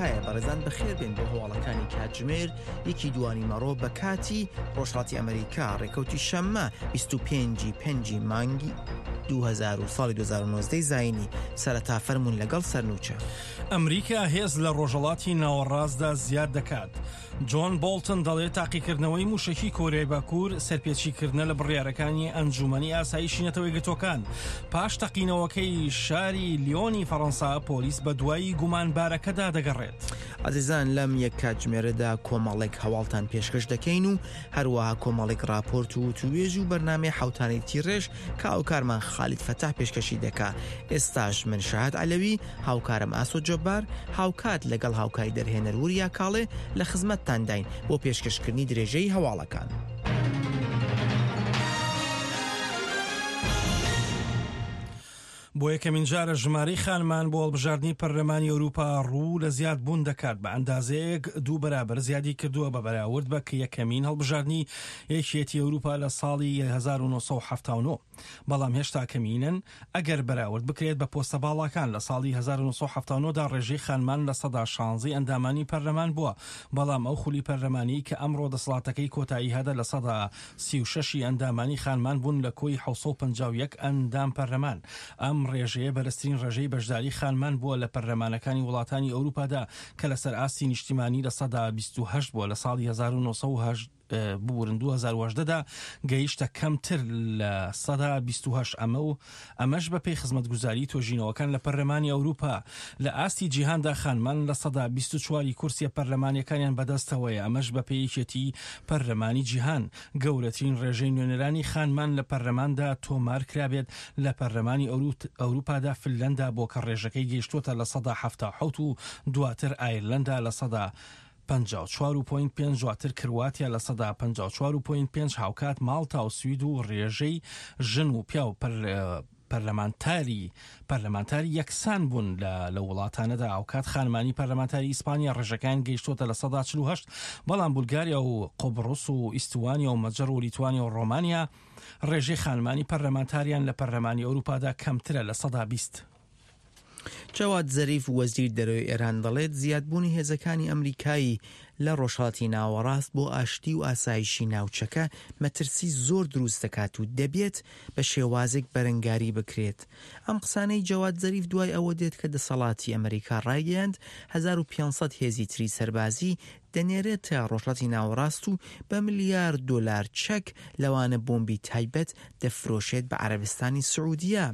ئەمریکایە. بەڕێزان بەخێر بێن بۆ هەواڵەکانی کاتژمێر یەکی دوانی مەڕۆ بە کاتی ڕۆژهەڵاتی ئەمریکا ڕێکەوتی شەممە 25 پێنجی مانگی 2000 و ساڵی 2019 زایینی سەرەتا فەرموون لەگەڵ سەرنوچە. ئەمریکا هێز لە ڕۆژهەڵاتی ناوەڕاستدا زیاد دەکات. جۆن بۆڵتن دەڵێت تاقیکردنەوەی مووشەکی کۆریای باکوور سەرپێچیکردنە لە بڕیارەکانی ئەنجوومەنی ئاسایشی نەتەوە یەکگرتووەکان. پاش تەقینەوەکەی شاری لیۆنی فەڕەنسا پۆلیس بەدوای گومانبارەکەدا دەگەڕێت. ئازیزان لەم یەک کاتژمێرەدا کۆمەڵێک هەواڵتان پێشکەش دەکەین و هەروەها کۆمەڵێک ڕاپۆرت و وتووێژ و بەرنامەی حەوتانەی تیڕێژ کە هاوکارمان خالید فەتاح پێشکەشی دەکا. ئێستاش من شەهاد عەلەوی، هاوکارم ئاسۆ جەبار، هاوکات لەگەڵ هاوکاری دەرهێنەر وریا کاڵێ لە خزمەتتانداین بۆ پێشکەشکردنی درێژەی هەواڵەکان. بۆ یەکەمین جارە ژمارەی خانمان بۆ هەڵبژاردنی پەرلەمانی ئەوروپا ڕوو لە زیاد بوون دەکات بە ئەندازەیەک دوو بەرابەر زیادی کردووە بە بەراورد بە یەکەمین هەڵبژاردنی یەکێتی ئەوروپا لە ساڵی 1979 بەڵام هێشتا کەمینەن ئەگەر بەراورد بکرێت بە پۆستە باڵاکان لە ساڵی 1979 دا ڕێژەی خانمان لە سەدا شانزەی ئەندامانی پەرلەمان بووە بەڵام ئەو خولی پەرلەمانی کە ئەمڕۆ دەسەڵاتەکەی کۆتایی هاتە لە سەدا 36 ی ئەندامانی خانمان بوون لە کۆی 751 ئەندام پەرلەمان. ئەم ڕێژەیە بەرزترین ڕێژەی بەشداری خانمان بووە لە پەرلەمانەکانی وڵاتانی ئەوروپادا کە لەسەر ئاستی نیشتیمانی لە سەدا 28 بووە لە ساڵی 1970 ببورن 2018 دا گەیشتە کەمتر لە سەدا 28 ئەمە و ئەمەش بەپێی خزمەتگوزاری تۆژینەوەکان لە پەرلەمانی ئەوروپا لە ئاستی جیهاندا خانمان لە سەدا 24 ی کورسیە پەرلەمانیەکانیان بەدەستەوەیە ئەمەش بەپێی یەکێتی پەرلەمانی جیهان گەورەترین ڕێژەی نوێنەرانی خانمان لە پەرلەماندا تۆمار کرابێت لە پەرلەمانی ئەوروپادا فنلەندا بۆ کە ڕێژەکەی گەیشتووەتە لە سەدا 77 و دواتر ئایرلەندا لە سەدا 54 و پۆینت پێنج دواتر کرواتیا لە سەدا 54 و پۆینت پێنج هاوکات ماڵتا و سوید و ڕێژەی ژن و پیاو پەرلەمانتاری پەرلەمانتاری یەکسان بوون لە لە وڵاتانەدا هاوکات خانمانی پەرلەمانتاری ئیسپانیا ڕێژەکان گەیشتووەتە لە سەدا 48 بەڵام بولگاریا و قوبڕس و ئیستوانیا و مەجەر و لیتوانیا و ڕۆمانیا ڕێژەی خانمانی پەرلەمانتاریان لە پەرلەمانی ئەوروپادا کەمترە لە سەدا 20. جەواد زەریف وەزیر دەرەوەی ئێران دەڵێت زیادبوونی هێزەکانی ئەمریکایی لە ڕۆژهەڵاتی ناوەڕاست بۆ ئاشتی و ئاسایشی ناوچەکە مەترسی زۆر دروست دەکات و دەبێت بە شێوازێک بەرەنگاری بکرێت. ئەم قسانەی جەواد زەریف دوای ئەوە دێت کە دەسەڵاتی ئەمریکا ڕایگەیاند 1500 هێزی تری سەربازی دەنێرێتە ڕۆژهەڵاتی ناوەڕاست و بە ملیار دۆلار چەک لەوانە بۆمبی تایبەت دەفرۆشێت بە عەرەبستانی سعودیە.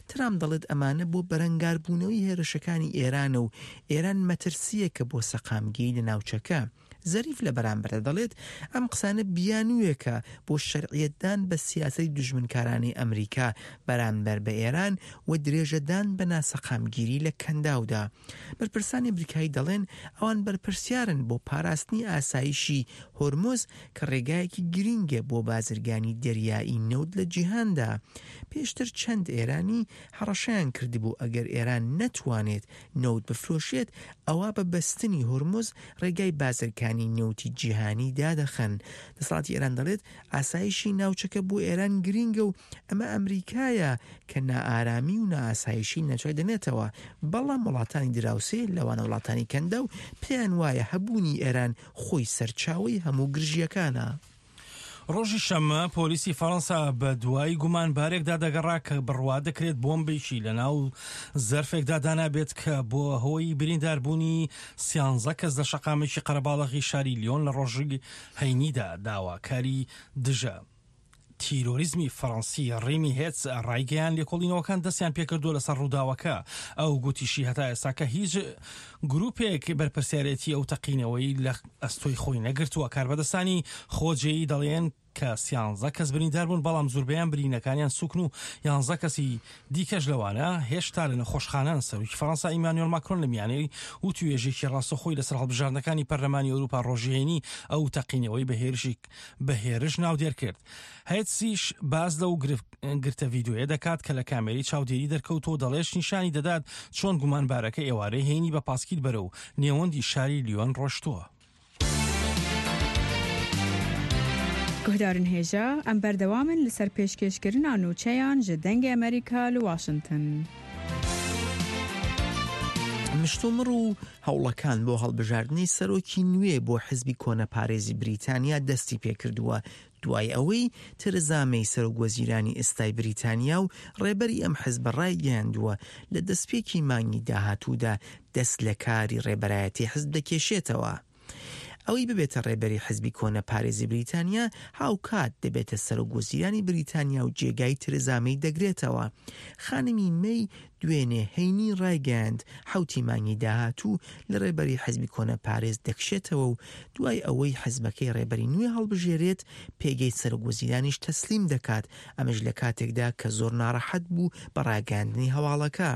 ترامپ دەڵێت ئەمانە بۆ بەرەنگاربوونەوەی هێرشەکانی ئێرانە و ئێران مەترسییەکە بۆ سەقامگیری لە ناوچەکە. زەریف لە بەرامبەردا دەڵێت ئەم قسانە بیانووێکە بۆ شەرعیەتدان بە سیاسەتی دوژمنکارانەی ئەمریکا بەرامبەر بە ئێران و درێژەدان بە ناسەقامگیری لە کەنداودا. بەرپرسانی ئەمریکایی دەڵێن ئەوان بەرپرسیارن بۆ پاراستنی ئاسایشی هۆرمز کە ڕێگایەکی گرینگە بۆ بازرگانی دەریایی نەوت لە جیهاندا. پێشتر چەند ئێرانی هەڕەشەیان کردبوو ئەگەر ئێران نەتوانێت نەوت بفرۆشێت ئەوا بە بەستنی هورمز ڕێگای بازرگانی نەوتی جیهانی دادەخەن. دەسەڵاتی ئێران دەڵێت ئاسایشی ناوچەکە بۆ ئێران گرینگە و ئەمە ئەمریکایە کە نائارامی و نائاسایشی ناوچەکە دەنێتەوە، بەڵام وڵاتانی دراوسێ لەوانە وڵاتانی کەنداو پێیان وایە هەبوونی ئێران خۆی سەرچاوەی هەموو گرژییەکانە. ڕۆژی شەممە پۆلیسی فەڕەنسا بە دوای گومانبارێکدا دەگەڕا کە بڕوا دەکرێت بۆمبێکی لەناو زەرفێکدا دانابێت کە بۆ هۆی برینداربوونی سیانزە کەس لە شەقامێکی قەرەباڵغی شاری لیۆن لە ڕۆژی هەینیدا داواکاری دژە تیرۆریزمی فەڕەنسی ڕیمی هێتس ڕایگەیان لێکۆڵینەوەکان دەستیان پێکردووە لەسەر ڕووداوەکە ئەو گوتیشی هەتا ئێستاکە هیچ گروپێک بەرپرسیارێتی ئەو تەقینەوەی لە ئەستۆی خۆی نەگرتووە کاربەدەستانی خۆجێی دەڵێن کە سیانزە کەس بریندار بوون بەڵام زوربەیان برینەکانیان سوکن و یانزە کەسی دیکەش لەوانە هێشتا لە نەخۆشخانەن سەرۆکی فەرەنسا ئیمانوێل ماکرۆن لە میانەی وتوێژێکی ڕاستەخۆی لەسەر هەڵبژاردنەکانی پەرلەمانی ئەوروپا ڕۆژی هەینی ئەو تەقینەوەی بە هێرشی بە هێرش ناودێر کرد. هێتسیش باس لەو گرتە ڤیدیۆیە دەکات کە لە کامێرەی چاودێری دەرکەوتووە و دەڵێت نیشانی دەدات چۆن گومانبارەکە ئێوارەی هەینی بە پاسکیل بەرەو نێوەندی شاری لیۆن ڕۆشتووە. گوهدارن هێژا، ئەم بەردەوامن لەسەر پێشکێشکردنا نوچەیان ژە دەنگێ ئەمەریکا لە واشنتن. مشتومڕ و هەوڵەکان بۆ هەڵبژاردنی سەرۆکی نوێ بۆ حزبی کۆنەپارێزی بریتانیا دەستی پێکردووە، دوای ئەوەی تێرێزا مەی سەرۆکوەزیرانی ئێستای بریتانیا و ڕێبەری ئەم حزبە ڕایگەیاندووە لە دەستپێکی مانگی داهاتوودا دەست لە کاری ڕێبەرایەتی حزب دەکێشێتەوە. ئەوەی ببێتە ڕێبەری حزبی کۆنەپارێزی بریتانیا هاوکات دەبێتە سەرۆک وەزیرانی بریتانیا و جێگای ترزا مەی دەگرێتەوە. خانمی مەی دوێنێ هەینی ڕایگەیاند حەوتی مانگی داهاتوو لە ڕێبەری حزبی کۆنەپارێز دەکشێتەوە و دوای ئەوەی حزبەکەی ڕێبەری نوێ هەڵبژێرێت پێگەی سەرۆک وەزیرانیش تەسلیم دەکات، ئەمەش لە کاتێکدا کە زۆر ناڕەحەت بوو بە ڕاگەیاندنی هەواڵەکە.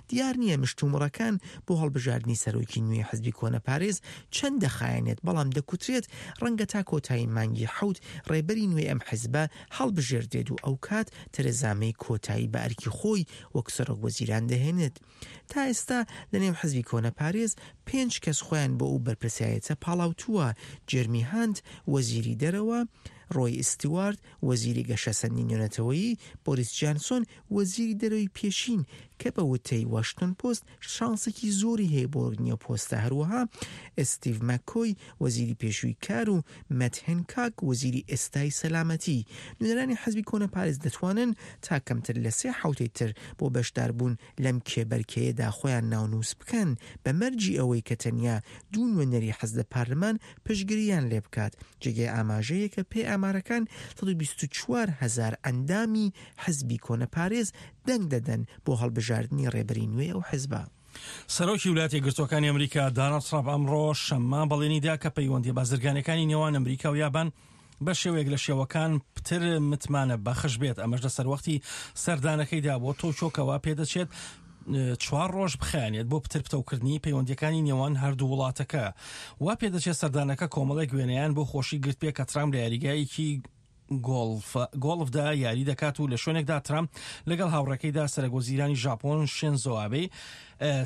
دیار نییە مشتومڕەکان بۆ هەڵبژاردنی سەرۆکی نوێی حزبی کۆنەپارێز چەند دەخایەنێت، بەڵام دەکوترێت ڕەنگە تا کۆتایی مانگی حەوت ڕێبەری نوێی ئەم حزبە هەڵبژێردرێت و ئەوکات تەرێزا مەی کۆتایی بە ئەرکی خۆی وەک سەرۆکوەزیران دەهێنێت. تا ئێستا لەنێو حزبی کۆنەپارێز پێنج کەس خۆیان بۆ ئەو بەرپرسیارێتە پاڵاوتووە، جێرمی هانت، وەزیری دەرەوە، ڕۆی ئیستوارت، وەزیری گەشەسەندنی نێونەتەوەیی، بۆریس جانسۆن، وەزیری دەرەوەی پێشین کە بە وتەی واشنتۆن پۆست شانسێکی زۆری هەیە بۆ وەرگرتنی ئەو پۆستە، هەروەها ئستیڤ مەککۆی وەزیری پێشووی کار و مەت هێنکاک وەزیری ئێستای سەلامەتی. نوێنەرانی حزبی کۆنەپارێز دەتوانن تا کەمتر لە سێ حەوتەی تر بۆ بەشداربوون لەم کێبەرکێیەدا خۆیان ناونووس بکەن بە مەرجی ئەوەی کە تەنیا دوو نوێنەری حزب لە پارلمان پشتگرییان لێبکات. جێگای ئاماژەیە کە پێی ئامارەکان 124 هەزار ئەندامی حزبی کۆنەپارێز دەنگ دەدەن بۆ هەڵبژاردنی ڕێبەری نوێی ئەو حزبە. سەرۆکی ویلایەتە یەکگرتووەکانی ئەمریکا داناڵد ترامپ ئەمڕۆ شەممە بەڵێنی دا کە پەیوەندییە بازرگانییەکانی نێوان ئەمریکا و یابان بە شێوەیەک لە شێوەکان پتر متمانە بەخش بێت، ئەمەش لە سەروەختی سەردانەکەیدا بۆ تۆکیۆ کە وا پێدەچێت چوار ڕۆژ بخایەنێت بۆ پتر پتەوکردنی پەیوەندییەکانی نێوان هەردوو وڵاتەکە. وا پێدەچێت سەردانەکە کۆمەڵێک وێنەیان بۆ خۆشی گرتبێ کە ترامپ لە یاریگایەکی گۆڵفدا یاری دەکات و لە شوێنێکدا ترامپ لەگەڵ هاوڕێکەیدا سەرەکوەزیرانی ژاپۆن شینزۆ ئابێ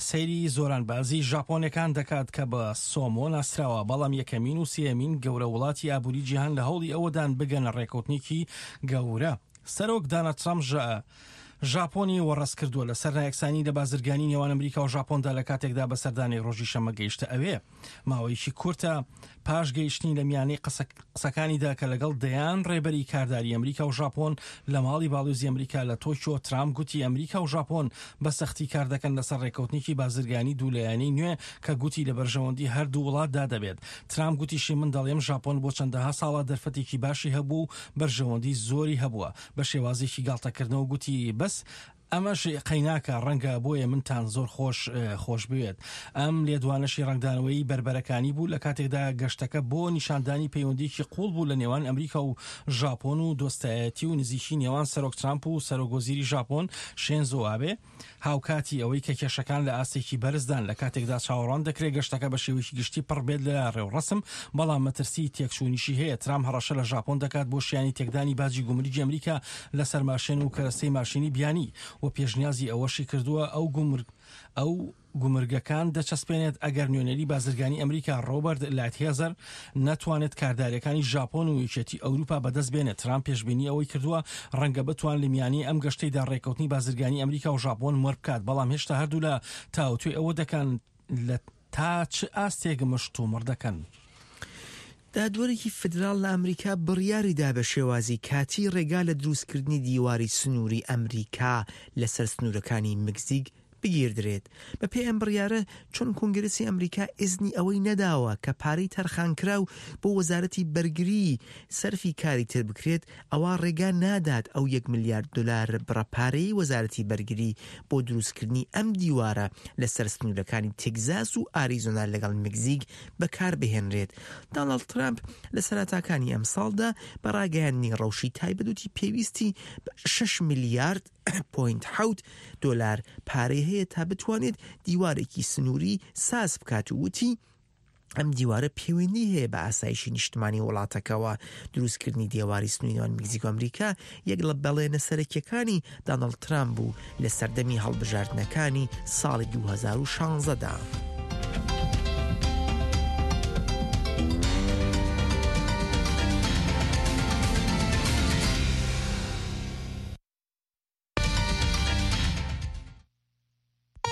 سەیری زۆرانبازی ژاپۆنەکان دەکات کە بە سۆمۆ ناسراوە، بەڵام یەکەمین و سێیەمین گەورە وڵاتی ئابووری جیهان لە هەوڵی ئەوەدان بگەنە ڕێکەوتنێکی گەورە. سەرۆک داناڵد ترامپ ژاپۆنی وەڕەز کردووە لەسەر نایەکسانی لە بازرگانی نێوان ئەمریکا و ژاپۆندا لە کاتێکدا بە سەردانێک ڕۆژی شەممە گەیشتە ئەوێ. ماوەیەکی کورتە پاش گەیشتنی لە میانەی قسەکانیدا کە لەگەڵ دەیان ڕێبەری کارداری ئەمریکا و ژاپۆن لە ماڵی باڵیۆزی ئەمریکا لە تۆکیۆ، ترامپ گوتی ئەمریکا و ژاپۆن بە سەختی کار دەکەن لەسەر ڕێککەوتنێکی بازرگانی دوولایەنەی نوێ کە گوتی لە بەرژەوەندی هەردوو وڵاتدا دەبێت. ترامپ گوتیشی من دەڵێم ژاپۆن بۆ چەندەها ساڵە دەرفەتێکی باشی هەبوو و بەرژەوەندی زۆری هەبووە. بە شێوازێکی گاڵتەکردنەوە گوتی بەس ئەمەش قەیناکە، ڕەنگە بۆیە منتان زۆر خۆش خۆش بوێت. ئەم لێدوانەشی ڕەنگدانەوەی بەربەرەکانی بوو لە کاتێکدا گەشتەکە بۆ نیشاندانی پەیوەندییەکی قووڵ بوو لە نێوان ئەمریکا و ژاپۆن و دۆستایەتی و نزیکی نێوان سەرۆک ترامپ و سەرۆک وەزیری ژاپۆن شێنزۆ ئابێ. هاوکاتی ئەوەی کە کێشەکان لە ئاستێکی بەرزدان لە کاتێکدا چاوەڕوان دەکرێت گەشتەکە بە شێوەیەکی گشتی پڕ بێت لە ڕێوڕەسم، بەڵام مەترسیی تێکچوونیشی هەیە. ترامپ هەڕەشە لە ژاپۆن دەکات بۆ شیانی تێکدانی باجی گومرگی ئەمریکا لەسەر ماشێن و کەرەستەی ماشێنی بیانی و پێشنیازی ئەوەشی کردووە ئەو گومرگ ئەو گومرگەکان دەچەسپێنێت ئەگەر نوێنەری بازرگانی ئەمریکا ڕۆبەرت لایتهێزەر نەتوانێت کارداریەکانی ژاپۆن و یەکێتی ئەوروپا بەدەست بێنێت. ترامپ پێشبینی ئەوەی کردووە ڕەنگە بتوان لە میانەی ئەم گەشتەیدا ڕێککەوتنی بازرگانی ئەمریکا و ژاپۆن مۆر بکات، بەڵام هێشتا هەردوولا تاوتوێ ئەوە دەکەن لە تا چ ئاستێک مشتومڕ دەکەن. دادوەرێکی فیدراڵ لە ئەمریکا بڕیاریدا بە شێوازی کاتی ڕێگا لە دروستکردنی دیواری سنووری ئەمریکا لەسەر سنوورەکانی مکزیک بگیردرێت. بەپێی ئەم بڕیارە، چون کۆنگرسی ئەمریکا ئیزنی ئەوەی نەداوە کە پارەی تەرخانکراو بۆ وەزارەتی بەرگری سەرفی کاری تر بکرێت، ئەوا ڕێگا نادات ئەو یەک ملیارد دۆلار بڕە پارەیەی وەزارەتی بەرگری بۆ دروستکردنی ئەم دیوارە لەسەر سنوورەکانی تگزاس و ئاریزۆنا لەگەڵ مکزیک بەکاربهێنرێت. داناڵد ترامپ لە سەرەتاکانی ئەمساڵدا بە ڕاگەیاندنی ڕەوشی تایبەت وتی پێویستی بە شەش ملیارد پۆینت حەوت دۆلار پارەی هەیە تا بتوانێت دیوارێکی سنووری ساز بکات و وتی ئەم دیوارە پەیوەندی هەیە بە ئاسایشی نیشتمانی وڵاتەکەوە. دروستکردنی دێواری سنووری نێوان مەکزیک و ئەمریکا یەک لە بەڵێنە سەرەکیەکانی دانڵد ترامپ بوو لە سەردەمی هەڵبژاردنەکانی ساڵی 2016 دا.